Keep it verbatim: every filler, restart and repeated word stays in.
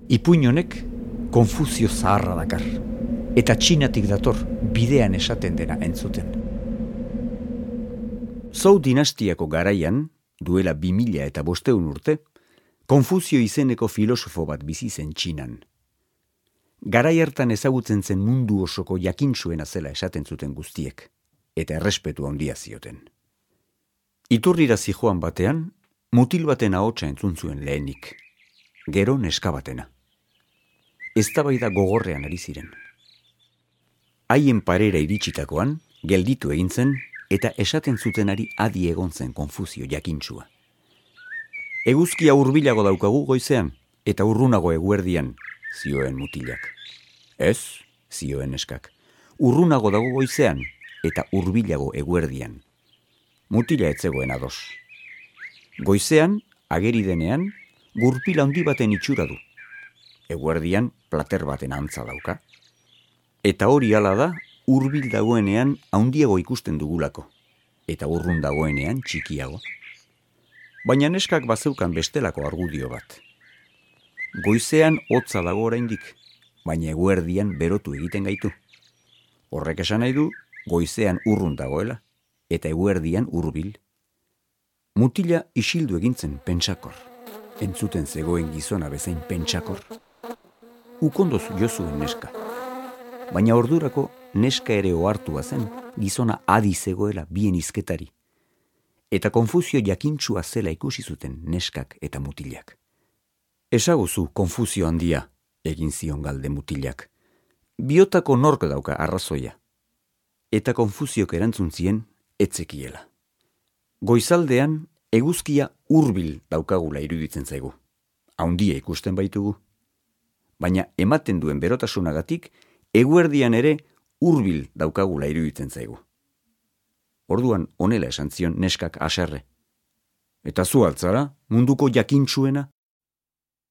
Ipuin honek Konfuzio zaharra dakar, eta Txinatik dator bidean esaten dena entzuten. Zhou dinastiako garaian, duela bi mila eta bosteun urte, Konfuzio izeneko filosofo bat bizi zen Txinan. Garai hartan ezagutzen zen mundu osoko jakintsuena zela esaten zuten guztiek, eta errespetu handia zioten. Iturrira zijoan batean, mutil baten ahotsa entzun zuen lehenik, gero neska batena. Eztabaida gogorrean ari ziren. Haien parera iritsitakoan, gelditu egin zen, eta esaten zutenari adi egon zen Konfuzio jakintsua. Eguzkia hurbilago daukagu goizean, eta urrunago eguerdian, zioen mutilak. Ez, zioen neskak, urrunago dago goizean, eta hurbilago eguerdian. Mutila ez zegoen ados. Goizean, ageri denean, gurpil handi baten itxura du. Eguerdian, plater baten antza dauka. Eta hori hala da, hurbil dagoenean handiago ikusten dugulako, eta urrun dagoenean txikiago. Baina neskak bazeukan bestelako argudio bat. Goizean hotza dago oraindik, baina eguerdian berotu egiten gaitu. Horrek esan nahi du, goizean urrun dagoela, eta eguerdian hurbil. Mutila isildu egintzen pentsakor, entzuten zegoen gizona bezain pentsakor. Ukondoz jo zuen neska. Baina ordurako neska ere ohartua zen, gizona adi zegoela bien hizketari. Eta Konfuzio jakintsua zela ikusi zuten neskak eta mutilak. Ezaguzu Konfuzio handia, egin zion galde mutilak. Biotako nork dauka arrazoia. Eta Konfuziok erantzun zien etzekiela. Goizaldean eguzkia hurbil daukagula iruditzen zaigu. Haundia ikusten baitugu. Baina ematen duen berotasunagatik, eguerdian ere hurbil daukagula iruditzen zaigu. Orduan honela esan zion neskak haserre. Eta zu altzara, munduko jakintsuena?